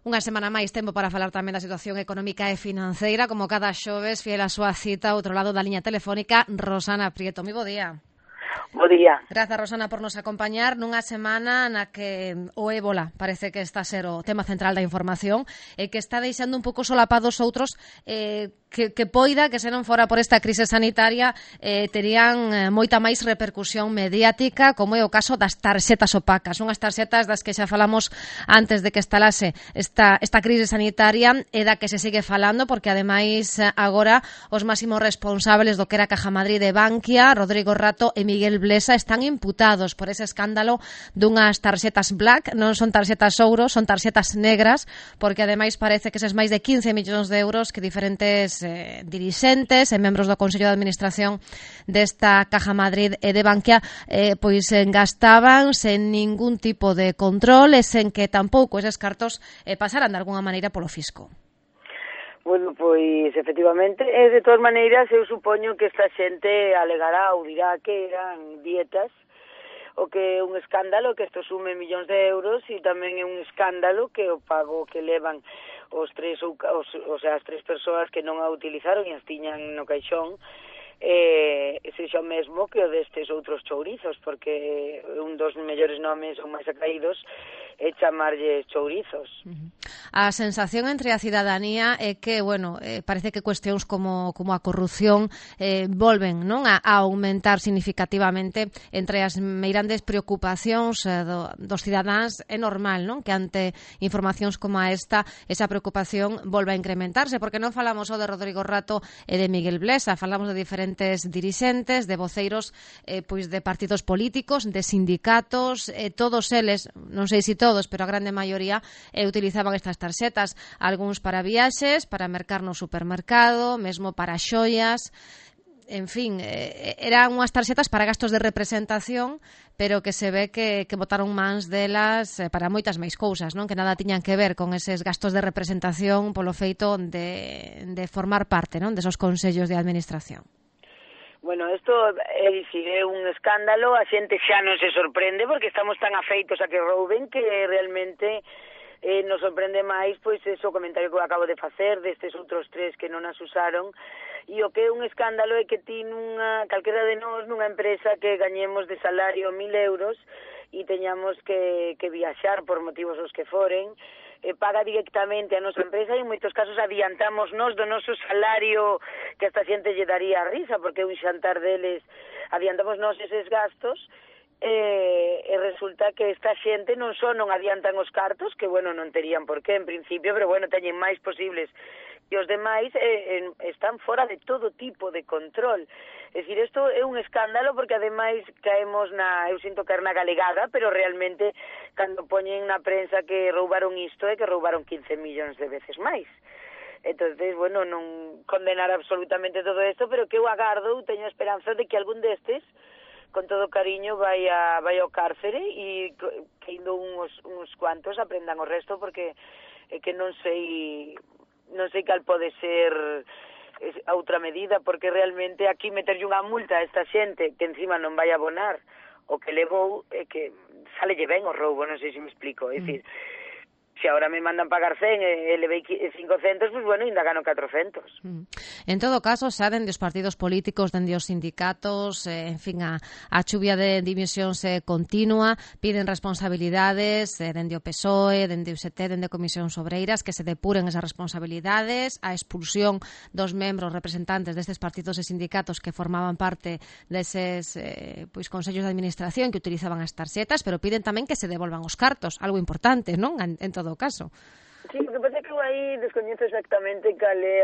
Unha semana máis tempo para falar tamén da situación económica e financeira, como cada xoves, fiel a súa cita, outro lado da liña telefónica, Rosana Prieto. Moi bo día. Bo día. Grazas, Rosana, por nos acompañar nunha semana na que o ébola parece que está a ser o tema central da información e que está deixando un pouco solapados outros que poida que se non fora por esta crise sanitaria terían moita máis repercusión mediática, como é o caso das tarxetas opacas, unhas tarxetas das que xa falamos antes de que estalase esta crise sanitaria e da que se sigue falando, porque ademais agora os máximos responsables do que era Caja Madrid de Bankia, Rodrigo Rato e Miguel Blesa, están imputados por ese escándalo dunhas tarxetas black, non son tarxetas ouro, son tarxetas negras, porque ademais parece que eses máis de 15 millóns de euros que diferentes dirixentes e membros do Consello de Administración desta Caja Madrid e de Bankia pois gastaban sen ningún tipo de control e sen que tampouco eses cartos pasaran de alguna maneira polo fisco. Bueno, pois, efectivamente, de todas maneiras, eu supoño que esta xente alegará ou dirá que eran dietas, o que é un escándalo que isto sume millóns de euros e tamén é un escándalo que o pago que levan as tres persoas que non a utilizaron e as tiñan no caixón sexa o mesmo que o destes outros chourizos, porque un dos mellores nomes ou máis acaídos é chamarlles chourizos. A sensación entre a cidadanía é que, bueno, parece que cuestións como a corrupción volven, non, a aumentar significativamente entre as meirandes preocupacións dos cidadáns. É normal, non, que ante informacións como esta, esa preocupación volva a incrementarse, porque non falamos só de Rodrigo Rato e de Miguel Blesa, falamos de diferentes dirixentes, de voceiros pois de partidos políticos, de sindicatos, todos eles, non sei se todos, pero a grande maioría utilizaban estas tarxetas, algúns para viaxes, para mercar no supermercado, mesmo para xoias. En fin, eran unhas tarxetas para gastos de representación, pero que se ve que botaron mans delas para moitas máis cousas, non? Que nada tiñan que ver con eses gastos de representación polo feito de formar parte, non, desos consellos de administración. Bueno, isto é un escándalo, a xente xa non se sorprende porque estamos tan afeitos a que rouben que realmente nos sorprende máis pois ese comentario que eu acabo de facer destes outros tres que non as usaron. E o que é un escándalo é que ti calquera de nós nunha empresa que gañemos de salario 1.000 euros e teñamos que viaxar por motivos os que foren, paga directamente a nosa empresa e en moitos casos adiantamos nós do noso salario, que esta xente lle daría a risa porque un xantar deles, adiantamos nós eses gastos e resulta que esta xente non só non adiantan os cartos, que bueno, non terían por qué en principio, pero bueno, teñen máis posibles que os demais, están fora de todo tipo de control. É dicir, isto é un escándalo porque ademais caemos eu sinto caer na galegada, pero realmente cando poñen na prensa que roubaron isto é que roubaron 15 millóns de veces máis. Entonces, bueno, non condenar absolutamente todo isto, pero que eu agardo, teño esperanza de que algún destes con todo cariño vai ao cárcere e que indo uns cuantos aprendan o resto, porque é que non sei cal pode ser a outra medida, porque realmente aquí meterlle unha multa a esta xente que encima non vai abonar o que levou é que salelle ben o roubo, non sei se me explico, é dicir, se agora me mandan pagar 100 e levei 500, pues bueno, ainda gano 400. En todo caso, xa dende os partidos políticos, dende os sindicatos, en fin, a chuvia de dimisións continua, piden responsabilidades dende o PSOE, dende o UST, dende Comisións Obreiras, que se depuren esas responsabilidades, a expulsión dos membros representantes destes partidos e sindicatos que formaban parte deses consellos de administración que utilizaban as tarxetas, pero piden tamén que se devolvan os cartos, algo importante, non? En todo caso. Sí, o que pasa é que eu aí descoñezo exactamente cal é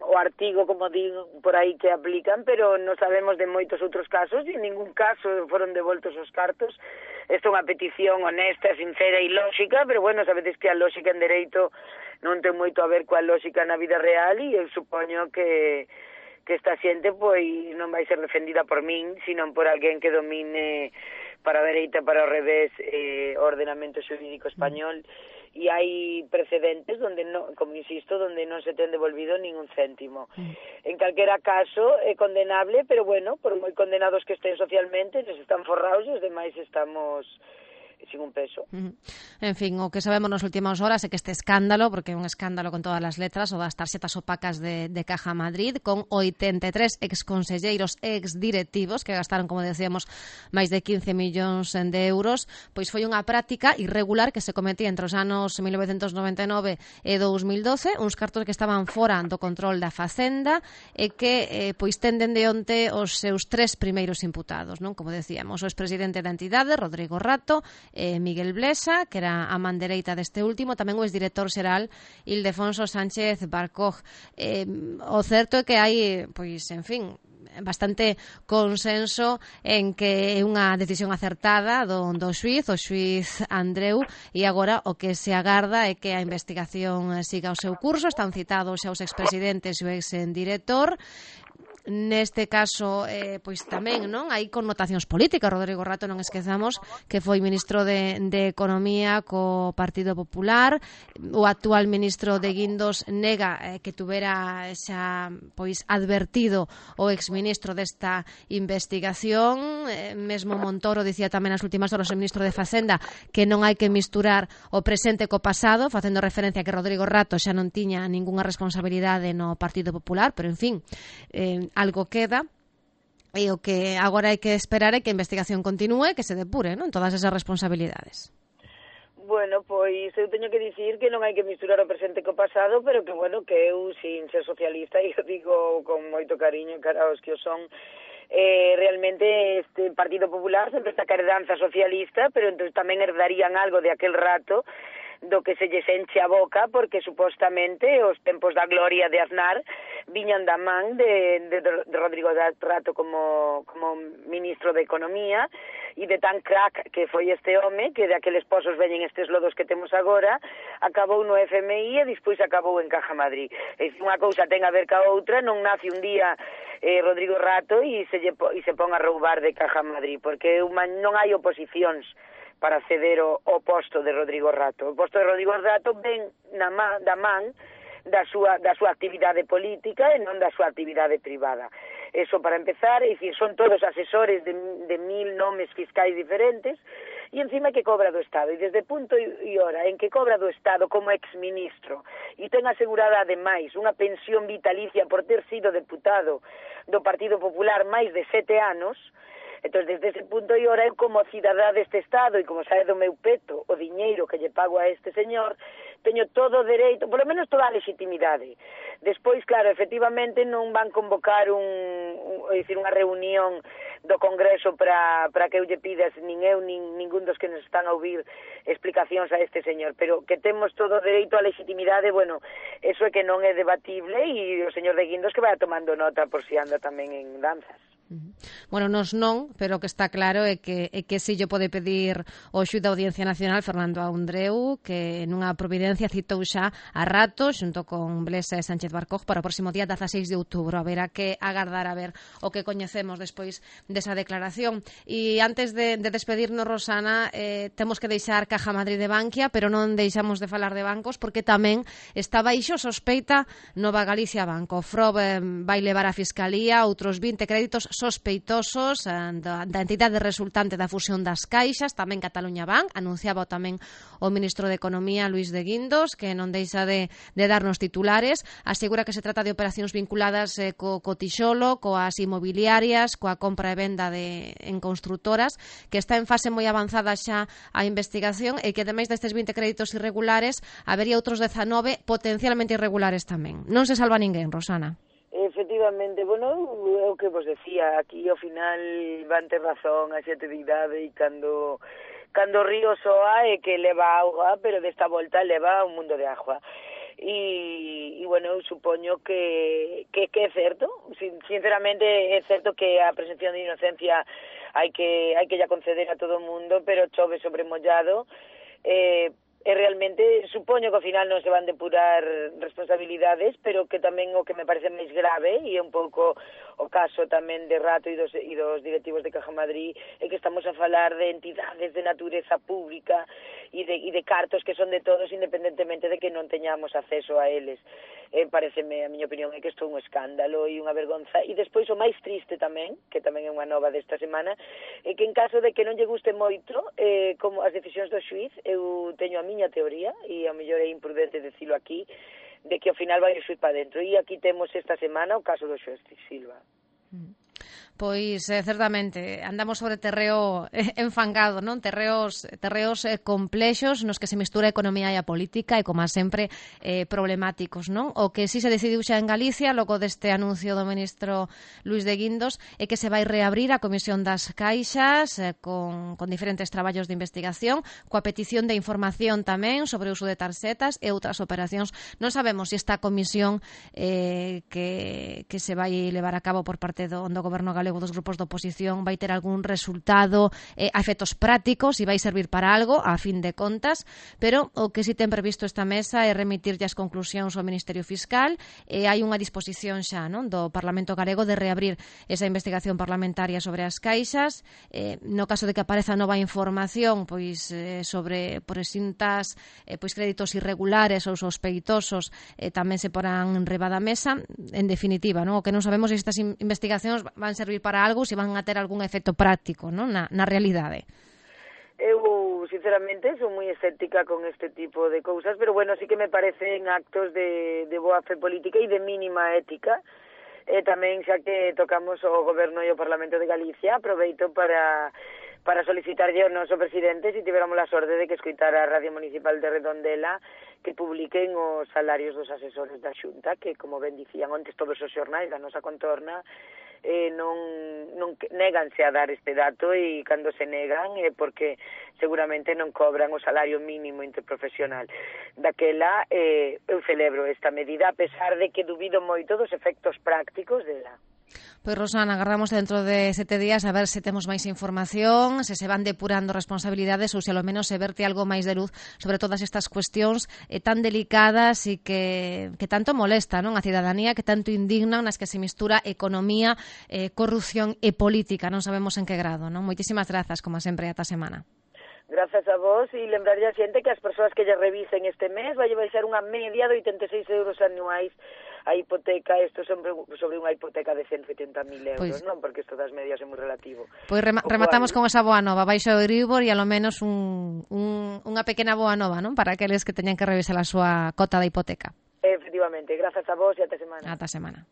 o artigo, como digo, por aí que aplican, pero non sabemos de moitos outros casos e en ningún caso foron devoltos os cartos. Esta é unha petición honesta, sincera e lógica, pero bueno, sabedes que a lógica en dereito non ten moito a ver coa lógica na vida real e eu supoño que esta xente pois non vai ser defendida por min, sino por alguén que domine para a dereita, para o revés, o ordenamento xurídico español, e hai precedentes donde non, como insisto, donde non se ten devolvido ningún céntimo. En calquera caso é condenable, pero bueno, por moi condenados que estén socialmente, nos están forrados e os demais estamos peso. En fin, o que sabemos nas últimas horas é que este escándalo, porque é un escándalo con todas as letras, o das tarxetas opacas de Caja Madrid, con 83 exconselleiros exdirectivos que gastaron, como decíamos, máis de 15 millóns de euros, pois foi unha práctica irregular que se cometía entre os anos 1999 e 2012, uns cartos que estaban fora do control da Facenda e que pois tenden de onte os seus tres primeiros imputados, non? Como decíamos, o expresidente da entidade, Rodrigo Rato, Miguel Blesa, que era a man dereita deste último, tamén o exdirector xeral Ildefonso Sánchez Barcoj. O certo é que hai, pois, en fin, bastante consenso en que é unha decisión acertada do xuiz, o xuiz Andreu, e agora o que se agarda é que a investigación siga o seu curso. Están citados xa os expresidentes e o exdirector. Neste caso, pois tamén, non, hai connotacións políticas. Rodrigo Rato, non esquezamos que foi ministro de Economía co Partido Popular. O actual ministro de Guindos nega que tuvera xa pois advertido o exministro desta investigación. Mesmo Montoro dicía tamén nas últimas horas, o ministro de Facenda, que non hai que misturar o presente co pasado, facendo referencia a que Rodrigo Rato xa non tiña ningunha responsabilidade no Partido Popular, pero en fin, algo queda, e o que agora hai que esperar é que a investigación continúe, que se depure, non, todas esas responsabilidades. Bueno, pois eu teño que dicir que non hai que misturar o presente co pasado, pero que, bueno, que eu, sin ser socialista, e eu digo con moito cariño cara aos que o son, realmente este Partido Popular sempre está ca herdanza socialista, pero entón tamén herdarían algo de aquel rato do que se lles enche a boca, porque supostamente os tempos da gloria de Aznar viñan da man de Rodrigo Rato como ministro de Economía, e de tan crack que foi este home, que de aqueles pozos veñen estes lodos que temos agora, acabou no FMI e despois acabou en Caja Madrid. É unha cousa ten a ver ca outra, non nace un día Rodrigo Rato e se pon a roubar de Caja Madrid, porque non hai oposicións para ceder o posto de Rodrigo Rato. O posto de Rodrigo Rato ven da man da súa actividade política e non da súa actividade privada. Eso para empezar, é dicir, son todos asesores de 1000 nomes fiscais diferentes, e encima que cobra do Estado, e desde punto e hora en que cobra do Estado como exministro e ten asegurada ademais unha pensión vitalicia por ter sido deputado do Partido Popular máis de 7 anos. Entón, desde ese punto e hora, eu como cidadá deste Estado e como sabe do meu peto o diñeiro que lle pago a este señor, teño todo o dereito, polo menos toda a legitimidade. Despois, claro, efectivamente non van convocar unha reunión do Congreso para que eu lle pidas, nin eu, nin ningún dos que nos están a ouvir, explicacións a este señor, pero que temos todo o dereito á legitimidade, bueno, eso é que non é debatible, e o señor de Guindos que vai tomando nota por si anda tamén en danzas. Bueno, nos non, pero o que está claro é que si lle pode pedir o xuíz da Audiencia Nacional, Fernando Andreu, que nunha providencia citou xa a Rato xunto con Blesa e Sánchez Barcoj para o próximo día 16 de outubro. Haberá que agardar a ver o que coñecemos despois desa declaración. E antes de despedirnos, Rosana, temos que deixar Caja Madrid de Bankia, pero non deixamos de falar de bancos, porque tamén está baixo sospeita Nova Galicia Banco. FROB vai levar a Fiscalía outros 20 créditos sospeitosos da entidade resultante da fusión das caixas. Tamén Cataluña Bank, anunciaba tamén o ministro de Economía, Luís de Guindos, que non deixa de darnos titulares. Asegura que se trata de operacións vinculadas co tixolo, coas inmobiliarias, coa compra e venda en construtoras, que está en fase moi avanzada xa a investigación, e que ademais destes 20 créditos irregulares habería outros 19 potencialmente irregulares tamén. Non se salva ninguén, Rosana. Efectivamente, bueno, é o que vos decía, aquí ao final van ter razón a xente de idade, e cando o río soa é que leva auga, pero desta volta leva un mundo de agua. E bueno, eu supoño que é certo, sinceramente é certo que a presunción de inocencia hai que ya conceder a todo o mundo, pero chove sobre mollado. E realmente supoño que ao final non se van depurar responsabilidades, pero que tamén o que me parece máis grave, e é un pouco o caso tamén de Rato e dos directivos de Caja Madrid, é que estamos a falar de entidades de natureza pública de cartos que son de todos independentemente de que non teñamos acceso a eles. Pareceme, a miña opinión, é que isto é un escándalo e unha vergonza. E despois o máis triste tamén, que tamén é unha nova desta semana, é que en caso de que non lle guste moito como as decisións do xuiz, eu teño a miña teoría, e ao mellor é imprudente decilo aquí, de que ao final vai o xuiz para dentro. E aquí temos esta semana o caso do xuiz Silva. Pois, certamente, andamos sobre terreo enfangado, non? Terreos complexos nos que se mistura a economía e a política e, como sempre, problemáticos, non? O que si se decidiu xa en Galicia, logo deste anuncio do ministro Luís de Guindos, é que se vai reabrir a Comisión das Caixas con diferentes traballos de investigación, coa petición de información tamén sobre o uso de tarxetas e outras operacións. Non sabemos se esta comisión que se vai levar a cabo por parte do Goberno galego dos grupos de oposición vai ter algún resultado a efectos prácticos e vai servir para algo, a fin de contas, pero o que si ten previsto esta mesa é remitirlle as conclusións ao Ministerio Fiscal e hai unha disposición xa, non, do Parlamento galego de reabrir esa investigación parlamentaria sobre as caixas. No caso de que apareza nova información pois sobre presuntas créditos irregulares ou sospeitosos, tamén se porán enriba da mesa. En definitiva, non, o que non sabemos é se estas investigacións van servir para algo, se van a ter algún efecto práctico, non, na realidade. Eu, sinceramente, sou moi escéptica con este tipo de cousas, pero bueno, sí que me parecen actos de boa fe política e de mínima ética. Tamén, xa que tocamos o Goberno e o Parlamento de Galicia, aproveito para solicitarlle ao noso presidente, se tiveramos a sorte de que escoitara a Radio Municipal de Redondela, que publiquen os salarios dos asesores da Xunta, que, como ben dicían ontes todos os xornais da nosa contorna, non néganse a dar este dato, e cando se negan é porque seguramente non cobran o salario mínimo interprofesional. Daquela eu celebro esta medida, a pesar de que dubido moito dos efectos prácticos dela. Pois, Rosana, agarramos dentro de 7 días a ver se temos máis información, se van depurando responsabilidades ou se ao menos se verte algo máis de luz sobre todas estas cuestións tan delicadas e que tanto molesta, non, a cidadanía, que tanto indignan, nas que se mistura economía, corrupción e política. Non sabemos en que grado, non? Moitísimas grazas, como sempre, ata semana. Grazas a vos, e lembrarlle a xente que as persoas que lle revisen este mes vai ser unha media de 86 euros anuais a hipoteca, isto sobre unha hipoteca de 180.000 euros, pois, non? Porque isto das medias é moi relativo. Pois rematamos con esa boa nova, baixo o Euribor e alo menos unha pequena boa nova, non? Para aqueles que teñan que revisar a súa cota da hipoteca. Efectivamente, grazas a vos e ata semana. Ata semana.